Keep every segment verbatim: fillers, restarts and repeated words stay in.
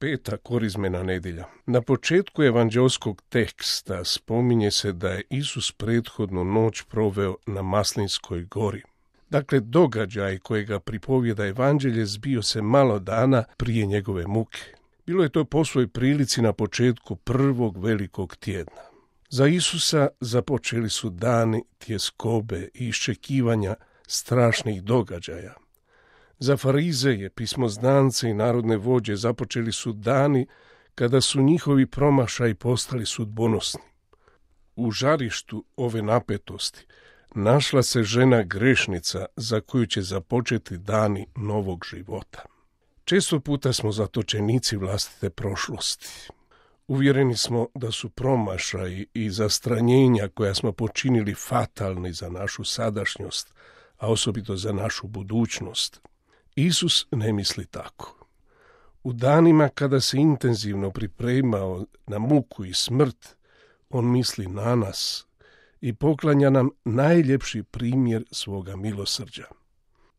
Peta korizmena nedjelja. Na početku evanđelskog teksta spominje se da je Isus prethodnu noć proveo na Maslinskoj gori. Dakle, događaj kojega pripovijeda evanđelje zbio se malo dana prije njegove muke. Bilo je to po svoj prilici na početku prvog velikog tjedna. Za Isusa započeli su dani tjeskobe i iščekivanja strašnih događaja. Za farizeje, pismoznance i narodne vođe započeli su dani kada su njihovi promašaji postali sudbonosni. U žarištu ove napetosti našla se žena grešnica za koju će započeti dani novog života. Često puta smo zatočenici vlastite prošlosti. Uvjereni smo da su promašaji i zastranjenja koja smo počinili fatalni za našu sadašnjost, a osobito za našu budućnost. Isus ne misli tako. U danima kada se intenzivno pripremao na muku i smrt, on misli na nas i poklanja nam najljepši primjer svoga milosrđa.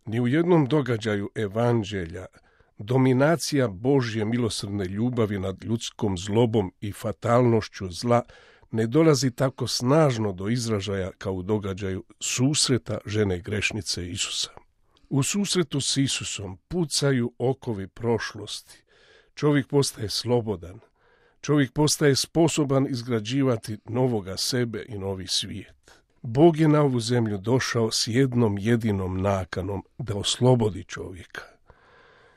Ni u jednom događaju evanđelja dominacija Božje milosrdne ljubavi nad ljudskom zlobom i fatalnošću zla ne dolazi tako snažno do izražaja kao u događaju susreta žene grešnice Isusa. U susretu s Isusom pucaju okovi prošlosti. Čovjek postaje slobodan. Čovjek postaje sposoban izgrađivati novoga sebe i novi svijet. Bog je na ovu zemlju došao s jednom jedinom nakanom da oslobodi čovjeka.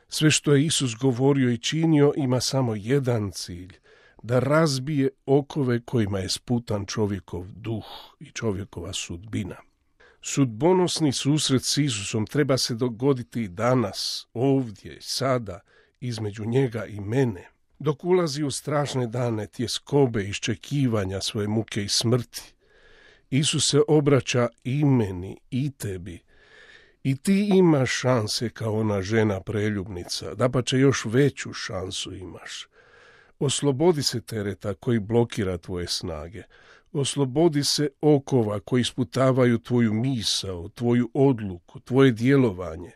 Sve što je Isus govorio i činio ima samo jedan cilj, da razbije okove kojima je sputan čovjekov duh i čovjekova sudbina. Sudbonosni susret s Isusom treba se dogoditi i danas, ovdje, sada, između njega i mene. Dok ulazi u strašne dane tjeskobe i iščekivanja svoje muke i smrti, Isus se obraća i meni i tebi. I ti imaš šanse kao ona žena preljubnica, dapače još veću šansu imaš. Oslobodi se tereta koji blokira tvoje snage. Oslobodi se okova koji isputavaju tvoju misao, tvoju odluku, tvoje djelovanje.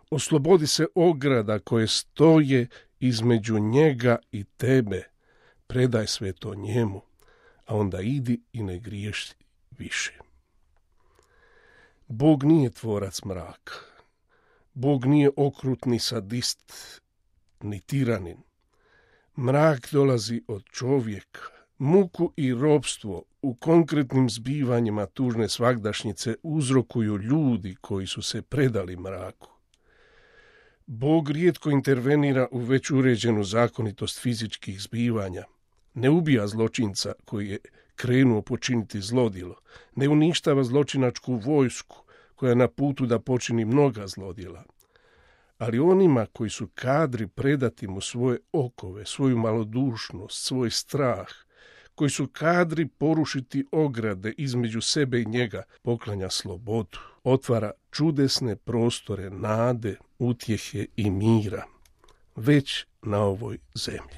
Oslobodi se ograda koje stoje između njega i tebe. Predaj sve to njemu, a onda idi i ne griješ više. Bog nije tvorac mraka. Bog nije okrutni sadist, ni tiranin. Mrak dolazi od čovjeka. Muku i ropstvo u konkretnim zbivanjima tužne svagdašnjice uzrokuju ljudi koji su se predali mraku. Bog rijetko intervenira u već uređenu zakonitost fizičkih zbivanja. Ne ubija zločinca koji je krenuo počiniti zlodjelo. Ne uništava zločinačku vojsku koja je na putu da počini mnoga zlodjela. Ali onima koji su kadri predati mu svoje okove, svoju malodušnost, svoj strah, koji su kadri porušiti ograde između sebe i njega, poklanja slobodu, otvara čudesne prostore nade, utjehe i mira, već na ovoj zemlji.